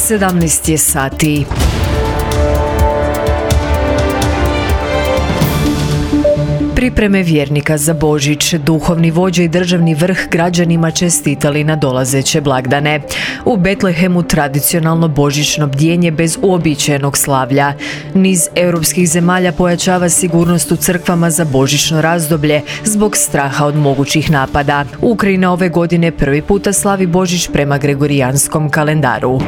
17 je sati. Pripreme vjernika za Božić, duhovni vođe i državni vrh građanima čestitali na dolazeće blagdane. U Betlehemu tradicionalno božićno bdjenje bez uobičajenog slavlja. Niz europskih zemalja pojačava sigurnost u crkvama za božićno razdoblje zbog straha od mogućih napada. Ukrajina ove godine prvi puta slavi Božić prema gregorijanskom kalendaru.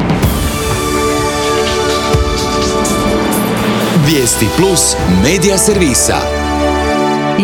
Vijesti plus medija servisa.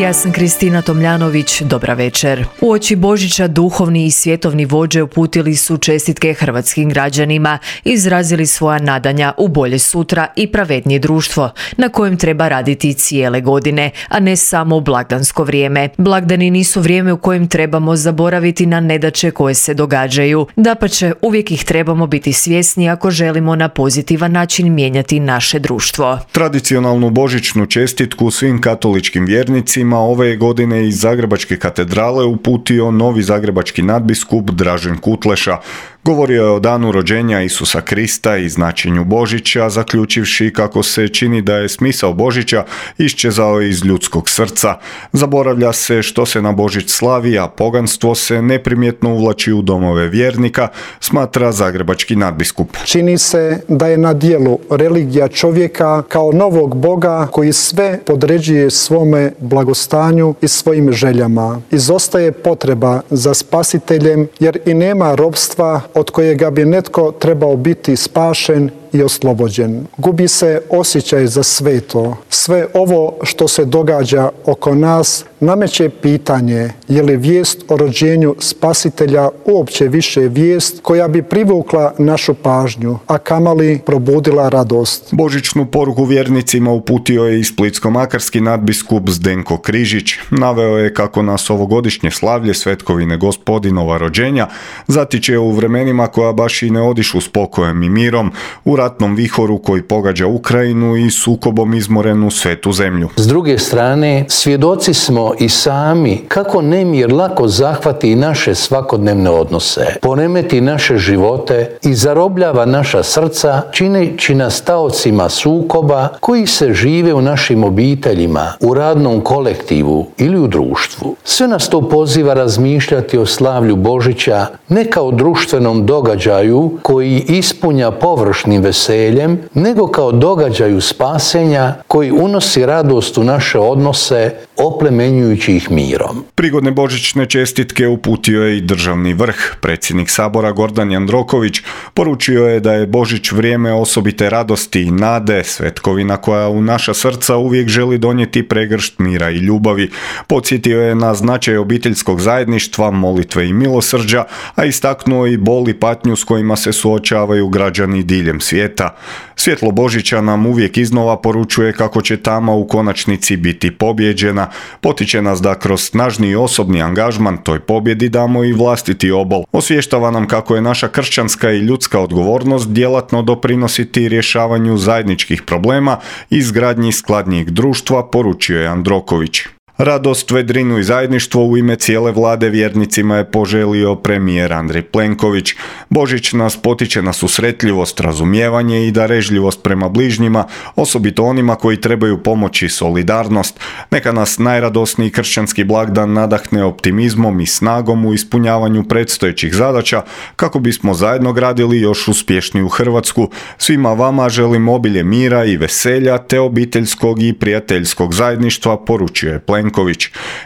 Ja sam Kristina Tomljanović, dobra večer. Uoči Božića duhovni i svjetovni vođe uputili su čestitke hrvatskim građanima, izrazili svoja nadanja u bolje sutra i pravednije društvo, na kojem treba raditi cijele godine, a ne samo u blagdansko vrijeme. Blagdani nisu vrijeme u kojem trebamo zaboraviti na nedaće koje se događaju. Dapače, uvijek ih trebamo biti svjesni ako želimo na pozitivan način mijenjati naše društvo. Tradicionalnu božićnu čestitku svim katoličkim vjernicima ove godine iz Zagrebačke katedrale uputio novi zagrebački nadbiskup Dražen Kutleša. Govorio je o danu rođenja Isusa Krista i značenju Božića, zaključivši kako se čini da je smisao Božića iščezao iz ljudskog srca. Zaboravlja se što se na Božić slavi, a poganstvo se neprimjetno uvlači u domove vjernika, smatra zagrebački nadbiskup. Čini se da je na djelu religija čovjeka kao novog Boga koji sve podređuje svome blagostanju i svojim željama. Izostaje potreba za spasiteljem jer i nema ropstva od kojega bi netko trebao biti spašen i oslobođen. Gubi se osjećaj za sveto. Sve ovo što se događa oko nas nameće pitanje je li vijest o rođenju spasitelja uopće više vijest koja bi privukla našu pažnju, a kamoli probudila radost. Božićnu poruku vjernicima uputio je i splitsko-makarski nadbiskup Zdenko Križić. Naveo je kako nas ovogodišnje slavlje Svetkovine Gospodinova rođenja zatiče u vremenima koja baš i ne odišu spokojem i mirom, u ratnom vihoru koji pogađa Ukrajinu i sukobom izmorenu svetu zemlju. S druge strane, svjedoci smo i sami kako nemir lako zahvati naše svakodnevne odnose, poremeti naše živote i zarobljava naša srca, čineći nas taocima sukoba koji se žive u našim obiteljima, u radnom kolektivu ili u društvu. Sve nas to poziva razmišljati o slavlju Božića ne kao društvenom događaju koji ispunja površnim veseljem, nego kao događaju spasenja koji unosi radost u naše odnose, oplemenjujući ih mirom. Prigodne božićne čestitke uputio je i državni vrh. Predsjednik Sabora Gordan Jandroković poručio je da je Božić vrijeme osobite radosti i nade, svetkovina koja u naša srca uvijek želi donijeti pregršt mira i ljubavi. Podsjetio je na značaj obiteljskog zajedništva, molitve i milosrđa, a istaknuo i bol i patnju s kojima se suočavaju građani diljem svijeta. Svjetlo Božića nam uvijek iznova poručuje kako će tama u konačnici biti pobjeđena. Potiče nas da kroz snažni osobni angažman toj pobjedi damo i vlastiti obol. Osvještava nam kako je naša kršćanska i ljudska odgovornost djelatno doprinositi rješavanju zajedničkih problema i izgradnji skladnijeg društva, poručio je Jandroković. Radost, vedrinu i zajedništvo u ime cijele vlade vjernicima je poželio premijer Andrej Plenković. Božić nas potiče na susretljivost, razumijevanje i darežljivost prema bližnjima, osobito onima koji trebaju pomoć i solidarnost. Neka nas najradosniji kršćanski blagdan nadahne optimizmom i snagom u ispunjavanju predstojećih zadaća kako bismo zajedno gradili još uspješniju Hrvatsku. Svima vama želim obilje mira i veselja te obiteljskog i prijateljskog zajedništva, poručio je Plenković.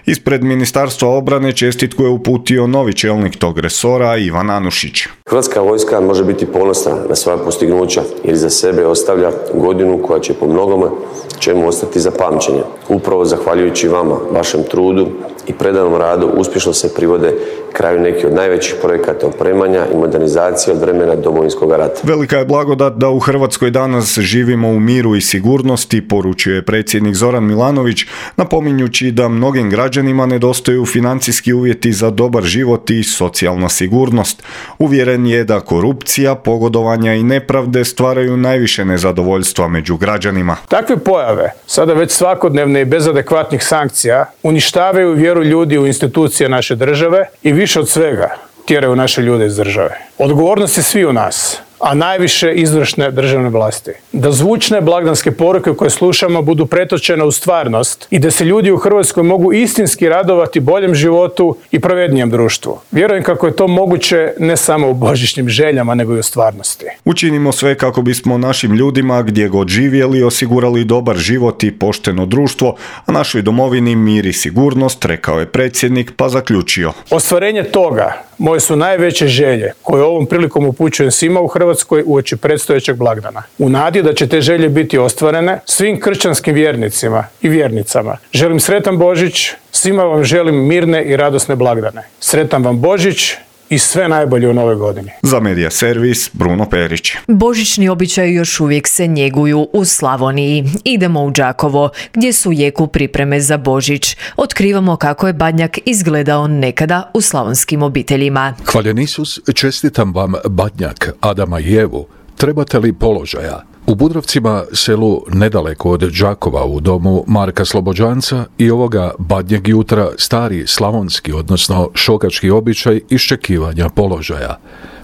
Ispred Ministarstva obrane čestitku je uputio novi čelnik tog resora Ivan Anušić. Hrvatska vojska može biti ponosna na svoja postignuća jer za sebe ostavlja godinu koja će po mnogome čemu ostati za pamćenje. Upravo zahvaljujući vama, vašem trudu i predanom radu uspješno se privode kraju neki od najvećih projekata opremanja i modernizacije od vremena Domovinskog rata. Velika je blagodat da u Hrvatskoj danas živimo u miru i sigurnosti, poručio je predsjednik Zoran Milanović, napominjući da mnogim građanima nedostaju financijski uvjeti za dobar život i socijalna sigurnost. Uvjeren je da korupcija, pogodovanja i nepravde stvaraju najviše nezadovoljstva među građanima. Takve pojave, sada već svakodnevne i bez adekvatnih sankcija, uništavaju vjeru ljudi u institucije naše države i više od svega tjeraju naše ljude iz države. Odgovornost je svi u nas, a najviše izvršne državne vlasti. Da zvučne blagdanske poruke koje slušamo budu pretočene u stvarnost i da se ljudi u Hrvatskoj mogu istinski radovati boljem životu i pravednijem društvu. Vjerujem kako je to moguće ne samo u božićnim željama, nego i u stvarnosti. Učinimo sve kako bismo našim ljudima gdje god živjeli osigurali dobar život i pošteno društvo, a našoj domovini mir i sigurnost, rekao je predsjednik, pa zaključio. Ostvarenje toga moje su najveće želje koje ovom prilikom upućujem svima u Hrvatskoj uoči predstojećeg blagdana. U nadi da će te želje biti ostvarene svim kršćanskim vjernicima i vjernicama. Želim sretan Božić, svima vam želim mirne i radosne blagdane. Sretan vam Božić i sve najbolje u novoj godini. Za Medija servis Bruno Perić. Božićni običaji još uvijek se njeguju u Slavoniji. Idemo u Đakovo, gdje su u jeku pripreme za Božić. Otkrivamo kako je Badnjak izgledao nekada u slavonskim obiteljima. Hvaljen Isus, čestitam vam Badnjak, Adama i Evu. Trebate li položaja? U Budrovcima, selu nedaleko od Đakova, u domu Marka Slobođanca, i ovoga Badnjeg jutra stari slavonski, odnosno šokački običaj iščekivanja položaja.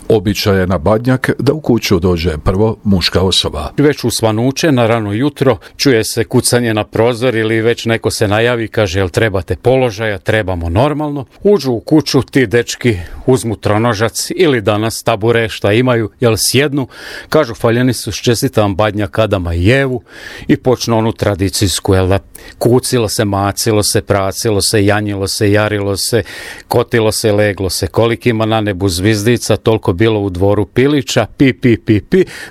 Običaj je na Badnjak da u kuću dođe prvo muška osoba. Već u svanuće, na rano jutro, čuje se kucanje na prozor ili već neko se najavi, kaže jel trebate položaja, trebamo normalno. Uđu u kuću, ti dečki uzmu tronožac ili danas tabure šta imaju, jel sjednu, kažu hvaljeni su, čestitam Badnjak, Adama i Evu i počnu onu tradicijsku, jel da kucilo se, macilo se, pracilo se, janjilo se, jarilo se, kotilo se, leglo se, koliko ima na nebu zvizdica, toliko bilo u dvoru pilića, pi,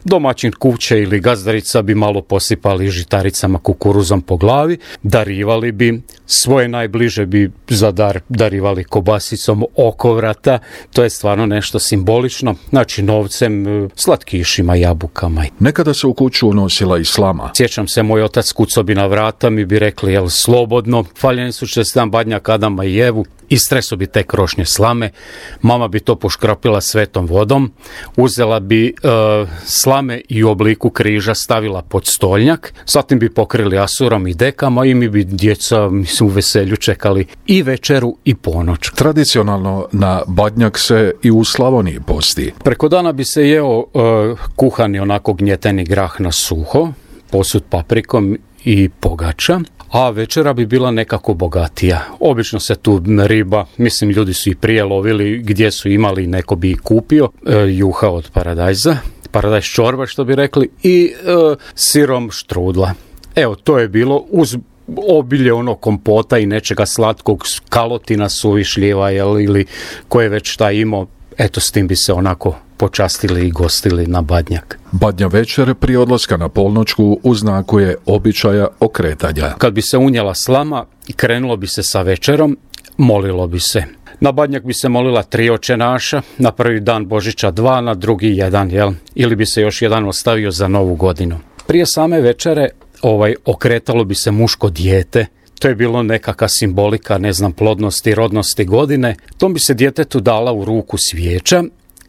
domaćin kuće ili gazdarica bi malo posipali žitaricama, kukuruzom po glavi, darivali bi, svoje najbliže bi za dar darivali kobasicom oko vrata, to je stvarno nešto simbolično, znači novcem, slatkišima, jabukama. Nekada se u kuću unosila i slama. Sjećam se, moj otac kucao bi na vrata, mi bi rekli, jel slobodno, hvaljeni su čestitam Badnjak, Adama i Evu, istreso bi te krošnje slame, mama bi to poškropila svetom vodom, uzela bi slame i u obliku križa stavila pod stolnjak, zatim bi pokrili asurom i dekama i mi bi djeca, mislim, u veselju čekali i večeru i ponoć. Tradicionalno na Badnjak se i u Slavoniji posti. Preko dana bi se jeo kuhani onako gnjeteni grah na suho, posut paprikom i pogača, a večera bi bila nekako bogatija. Obično se tu riba, mislim ljudi su i prije lovili gdje su imali, neko bi i kupio, juha od paradajza, paradajz čorba što bi rekli, i sirom štrudla. Evo, to je bilo uz obilje ono kompota i nečega slatkog, kalotina, suvišljiva ili koje već šta imao, eto s tim bi se onako počastili i gostili na Badnjak. Badnja večer prije odlaska na polnoćku u znaku je običaja okretanja. Kad bi se unijela slama i krenulo bi se sa večerom, molilo bi se. Na Badnjak bi se molila 3 oče naša, na prvi dan Božića 2, na drugi 1, jel? Ili bi se još jedan ostavio za novu godinu. Prije same večere okretalo bi se muško dijete. To je bilo nekakva simbolika, plodnosti, rodnosti godine. Tom bi se djetetu dala u ruku svijeća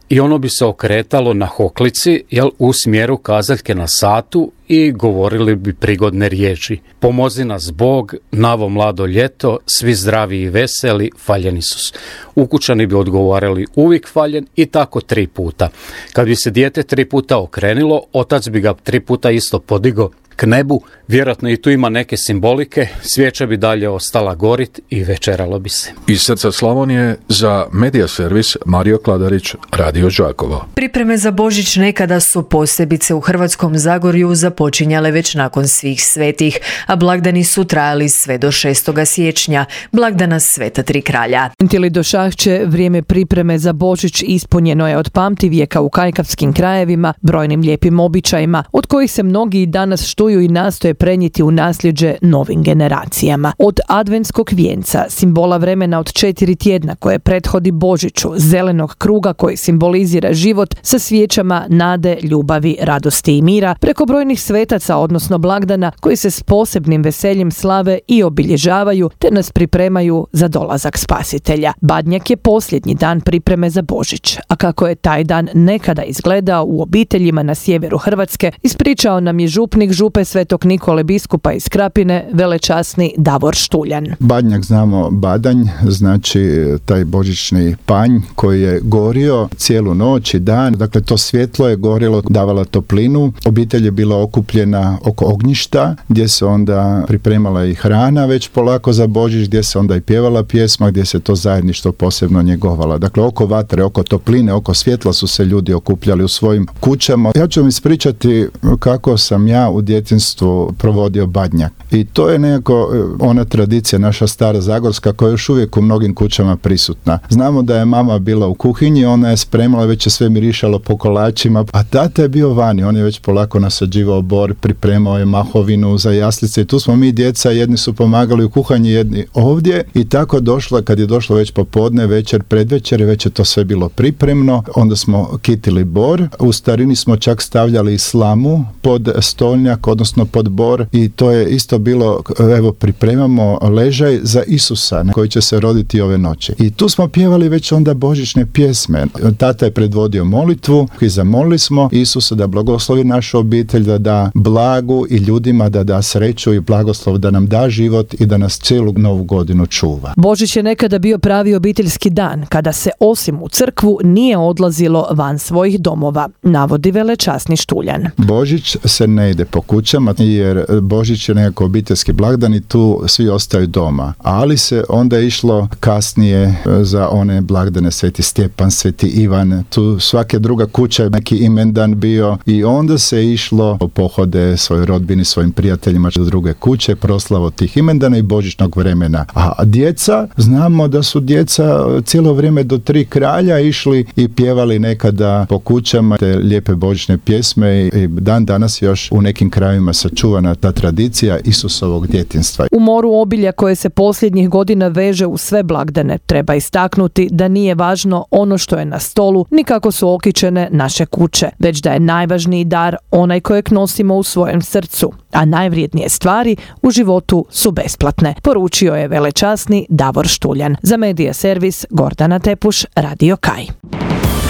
i ono bi se okretalo na hoklici, u smjeru kazaljke na satu i govorili bi prigodne riječi. Pomozi nas Bog, navo mlado ljeto, svi zdravi i veseli, hvaljen Isus. Ukućani bi odgovarali uvijek hvaljen i tako 3 puta. Kad bi se dijete 3 puta okrenilo, otac bi ga 3 puta isto podigao k nebu, vjerojatno i tu ima neke simbolike, svijeća bi dalje ostala gorit i večeralo bi se. Iz srca Slavonije za Medija servis Mario Kladarić, Radio Đakovo. Pripreme za Božić nekada su posebice u Hrvatskom Zagorju započinjale već nakon svih svetih, a blagdani su trajali sve do 6. siječnja, blagdana Sveta Tri kralja. Tili do Šahće, vrijeme pripreme za Božić ispunjeno je od pamtivijeka u kajkavskim krajevima, brojnim lijepim običajima, od kojih se mnogi i danas štuju i nastoje prenijeti u nasljeđe novim generacijama. Od adventskog vijenca, simbola vremena od 4 tjedna koje prethodi Božiću, zelenog kruga koji simbolizira život sa svijećama nade, ljubavi, radosti i mira, preko brojnih svetaca, odnosno blagdana koji se s posebnim veseljem slave i obilježavaju te nas pripremaju za dolazak Spasitelja. Badnjak je posljednji dan pripreme za Božić, a kako je taj dan nekada izgledao u obiteljima na sjeveru Hrvatske, ispričao nam je župnik grupe Svetog Nikole biskupa iz Krapine, velečasni Davor Štuljan. Badnjak znamo badanj, znači taj božićni panj koji je gorio cijelu noć i dan. Dakle, to svjetlo je gorilo, davala toplinu. Obitelj je bila okupljena oko ognjišta, gdje se onda pripremala i hrana već polako za Božić, gdje se onda i pjevala pjesma, gdje se to zajedništvo posebno njegovala. Dakle, oko vatre, oko topline, oko svjetla su se ljudi okupljali u svojim kućama. Ja ću vam ispričati kako sam ja u djetinjstvu provodio badnjak. I to je nekako ona tradicija naša stara zagorska koja je još uvijek u mnogim kućama prisutna. Znamo da je mama bila u kuhinji, ona je spremala, već je sve mirišalo po kolačima, a tata je bio vani, on je već polako nasađivao bor, pripremao je mahovinu za jaslice i tu smo mi djeca, jedni su pomagali u kuhanji, jedni ovdje i tako došlo, kad je došlo već popodne, večer, predvečer, već je to sve bilo pripremno, onda smo kitili bor, u starini smo čak stavljali slamu pod stolnjak, odnosno pod bor i to je isto bilo, evo pripremamo ležaj za Isusa koji će se roditi ove noći. I tu smo pjevali već onda božićne pjesme. Tata je predvodio molitvu i zamolili smo Isusa da blagoslovi našu obitelj, da da blagu i ljudima da da sreću i blagoslov, da nam da život i da nas cijelu novu godinu čuva. Božić je nekada bio pravi obiteljski dan, kada se osim u crkvu nije odlazilo van svojih domova, navodi velečasni Štuljan. Božić se ne ide po kućama jer Božić je nekako obiteljski blagdan i tu svi ostaju doma. Ali se onda išlo kasnije za one blagdane Sveti Stjepan, Sveti Ivan, tu svake druga kuća je neki imendan bio i onda se išlo u pohode svojoj rodbini, svojim prijateljima do druge kuće, proslavo tih imendana i božićnog vremena. A djeca, znamo da su djeca cijelo vrijeme do 3 kralja išli i pjevali nekada po kućama te lijepe božićne pjesme i dan danas još u nekim krajevima sačuvana ta tradicija Isusovog djetinjstva. U moru obilja koje se posljednjih godina veže u sve blagdane, treba istaknuti da nije važno ono što je na stolu, ni kako su okićene naše kuće, već da je najvažniji dar onaj kojeg nosimo u svojem srcu, a najvrijednije stvari u životu su besplatne, poručio je velečasni Davor Štuljan. Za Medija servis Gordana Tepuš, Radio Kaj.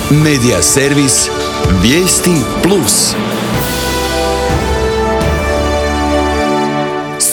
Medija servis Vijesti Plus.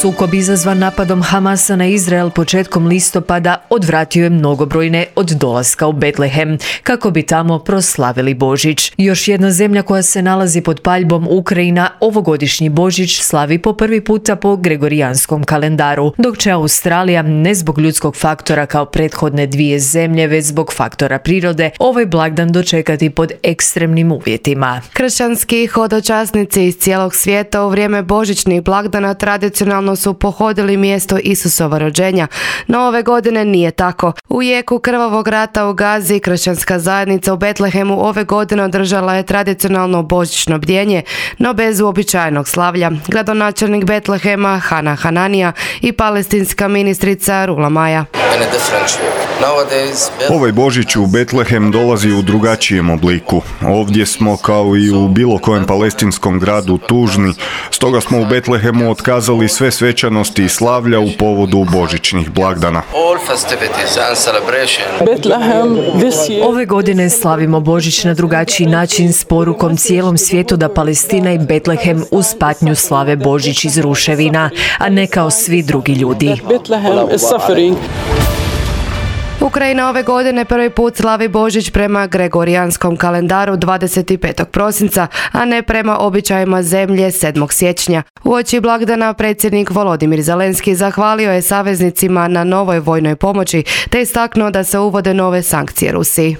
Sukob izazvan napadom Hamasa na Izrael početkom listopada odvratio je mnogobrojne od dolaska u Betlehem, kako bi tamo proslavili Božić. Još jedna zemlja koja se nalazi pod paljbom, Ukrajina, ovogodišnji Božić slavi po prvi puta po gregorijanskom kalendaru, dok će Australija, ne zbog ljudskog faktora kao prethodne dvije zemlje, već zbog faktora prirode, ovaj blagdan dočekati pod ekstremnim uvjetima. Kršćanski hodočasnici iz cijelog svijeta u vrijeme božićnih blagdana tradicionalno su pohodili mjesto Isusova rođenja, no ove godine nije tako. U jeku krvavog rata u Gazi, kršćanska zajednica u Betlehemu ove godine održala je tradicionalno božićno bdjenje, no bez uobičajenog slavlja. Gradonačelnik Betlehema Hana Hananija i palestinska ministrica Rula Maja. Ovaj Božić u Betlehem dolazi u drugačijem obliku. Ovdje smo kao i u bilo kojem palestinskom gradu tužni, stoga smo u Betlehemu otkazali sve svečanosti i slavlja u povodu božićnih blagdana. Ove godine slavimo Božić na drugačiji način s porukom cijelom svijetu da Palestina i Betlehem uz patnju slave Božić iz ruševina, a ne kao svi drugi ljudi. Ukrajina ove godine prvi put slavi Božić prema gregorijanskom kalendaru 25. prosinca, a ne prema običajima zemlje 7. siječnja. Uoči blagdana predsjednik Volodimir Zelenski zahvalio je saveznicima na novoj vojnoj pomoći te istaknuo da se uvode nove sankcije Rusiji.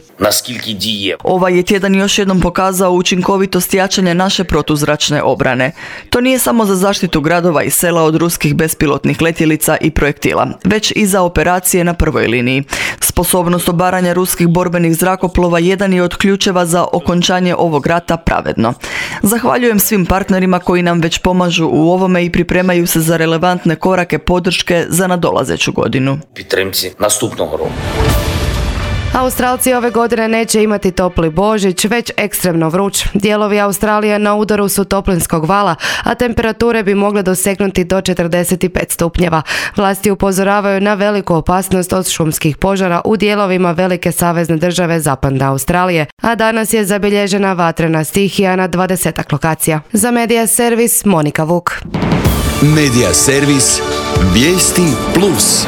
Ovaj je tjedan još jednom pokazao učinkovitost jačanja naše protuzračne obrane. To nije samo za zaštitu gradova i sela od ruskih bespilotnih letjelica i projektila, već i za operacije na prvoj liniji. Sposobnost obaranja ruskih borbenih zrakoplova jedan je od ključeva za okončanje ovog rata pravedno. Zahvaljujem svim partnerima koji nam već pomažu u ovome i pripremaju se za relevantne korake podrške za nadolazeću godinu. Australci ove godine neće imati topli Božić, već ekstremno vruć. Dijelovi Australije na udaru su toplinskog vala, a temperature bi mogle dosegnuti do 45 stupnjeva. Vlasti upozoravaju na veliku opasnost od šumskih požara u dijelovima velike savezne države Zapadne Australije, a danas je zabilježena vatrena stihija na 20 lokacija. Za Medija servis Monika Vuk. Medija servis Vijesti Plus.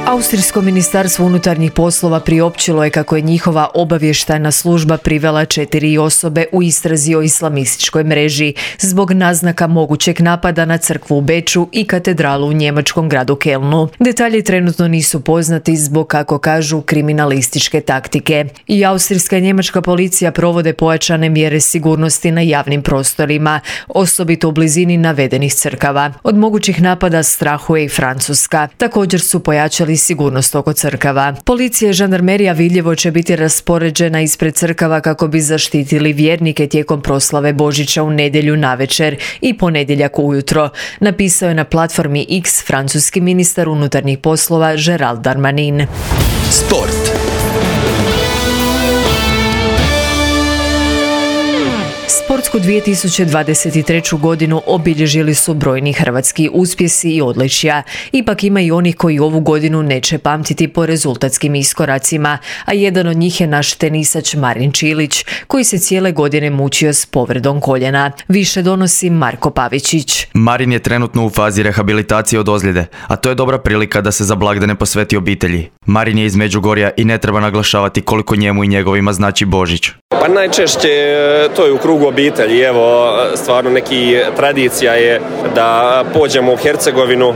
Austrijsko ministarstvo unutarnjih poslova priopćilo je kako je njihova obavještajna služba privela 4 osobe u istrazi o islamističkoj mreži zbog naznaka mogućeg napada na crkvu u Beču i katedralu u njemačkom gradu Kelnu. Detalji trenutno nisu poznati zbog, kako kažu, kriminalističke taktike. I austrijska i njemačka policija provode pojačane mjere sigurnosti na javnim prostorima, osobito u blizini navedenih crkava. Od mogućih napada strahuje i Francuska. Također su pojačali sigurnost oko crkava. Policija i žandarmerija vidljivo će biti raspoređena ispred crkava kako bi zaštitili vjernike tijekom proslave Božića u nedjelju navečer i ponedjeljak ujutro, napisao je na platformi X francuski ministar unutarnjih poslova Gérald Darmanin. Sport. Sportsku 2023. godinu obilježili su brojni hrvatski uspjesi i odličja. Ipak ima i onih koji ovu godinu neće pamtiti po rezultatskim iskoracima, a jedan od njih je naš tenisač Marin Čilić, koji se cijele godine mučio s povredom koljena. Više donosi Marko Pavičić. Marin je trenutno u fazi rehabilitacije od ozljede, a to je dobra prilika da se za blagdane posveti obitelji. Marin je iz Međugorja i ne treba naglašavati koliko njemu i njegovima znači Božić. Pa najčešće to je u krugu obitelji. Evo, stvarno neki tradicija je da pođemo u Hercegovinu,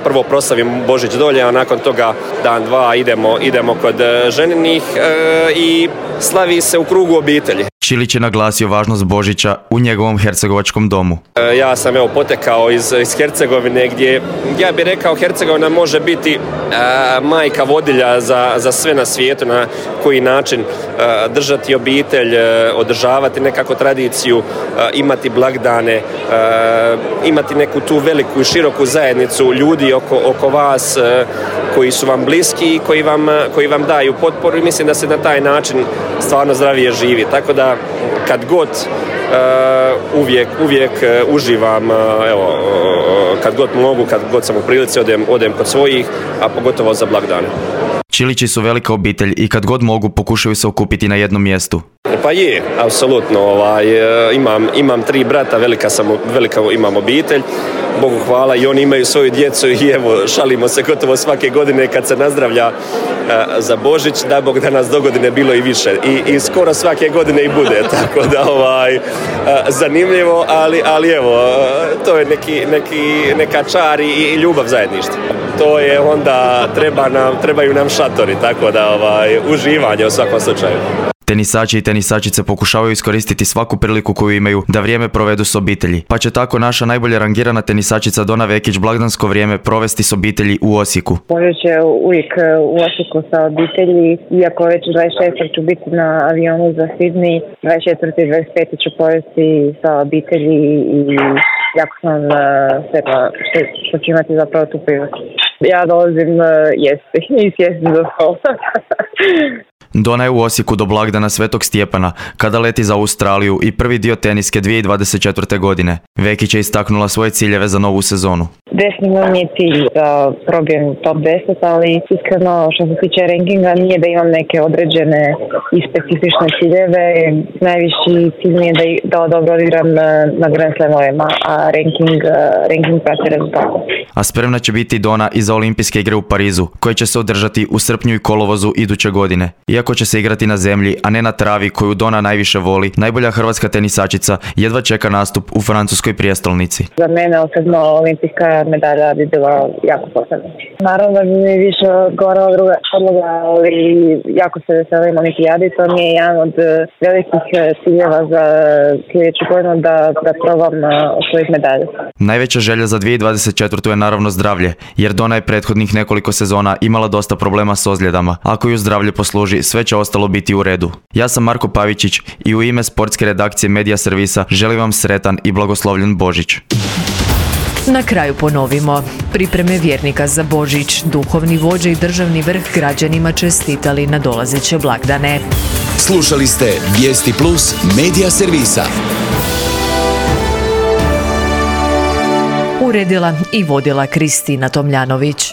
prvo proslavimo Božić dolje, a nakon toga dan, dva idemo kod ženinih i slavi se u krugu obitelji. Čilić je naglasio važnost Božića u njegovom hercegovačkom domu. Ja sam potekao iz Hercegovine, gdje ja bih rekao Hercegovina može biti majka vodilja za sve na svijetu, na koji način držati obitelj, održavati nekako tradiciju, imati blagdane, imati neku tu veliku i široku zajednicu ljudi oko vas koji su vam bliski i koji vam daju potporu, i mislim da se na taj način stvarno zdravije živi. Tako da kad god uvijek uživam, evo, kad god mogu, kad god sam u prilici odem kod svojih, a pogotovo za blagdane. Čilići su velika obitelj i kad god mogu pokušaju se okupiti na jednom mjestu. Pa je, apsolutno. Imam 3 brata, velika imam obitelj. Bogu hvala, i oni imaju svoju djecu i evo, šalimo se gotovo svake godine kad se nazdravlja za Božić, da Bog da nas dogodine bilo i više. I skoro svake godine i bude, tako da zanimljivo, ali evo, to je neka čar i ljubav zajedništva. To je onda, trebaju nam šatori, tako da uživanje u svakom slučaju. Tenisači i tenisačice pokušavaju iskoristiti svaku priliku koju imaju da vrijeme provedu s obitelji. Pa će tako naša najbolje rangirana tenisačica Dona Vekić blagdansko vrijeme provesti s obitelji u Osijeku. Božić je uvijek u Osijeku sa obitelji, iako već 26. ću biti na avionu za Sidney, 24. i 25. ću provesti sa obitelji i jako sam sretna što ću imati zapravo tu priliku. Ja dolazim jesti i sjesti za stol. Dona je u Osijeku do blagdana Svetog Stjepana, kada leti za Australiju i prvi dio teniske 2024. godine. Vekić je istaknula svoje ciljeve za novu sezonu. Definitivno mi je cilj da probijem top 10, ali iskreno što se tiče rankinga nije da imam neke određene i specifične ciljeve. Najviši cilj mi je da dobro odigram na Grand Slamovima, a ranking prati rezultate. A spremna će biti Dona i za olimpijske igre u Parizu, koje će se održati u srpnju i kolovozu iduće godine. Iako će se igrati na zemlji, a ne na travi koju Dona najviše voli, najbolja hrvatska tenisačica jedva čeka nastup u francuskoj prijestolnici. Za mene osobno olimpijska medalja bi bila jako posebna. Naravno da bi mi više odgovarala druga podloga, ali jako se veselim olimpijadi. To mi je jedan od velikih ciljeva za sljedeću godinu da probam osvojiti medalje. Najveća želja za 2024. je naravno zdravlje, jer Dona je prethodnih nekoliko sezona imala dosta problema s ozljedama. Ako ju zdravlje posluži, sve će ostalo biti u redu. Ja sam Marko Pavičić i u ime sportske redakcije Medija servisa želim vam sretan i blagoslovljen Božić. Na kraju ponovimo. Pripreme vjernika za Božić, duhovni vođe i državni vrh građanima čestitali na dolazeće blagdane. Slušali ste Vijesti Plus medija servisa. Uredila i vodila Kristina Tomljanović.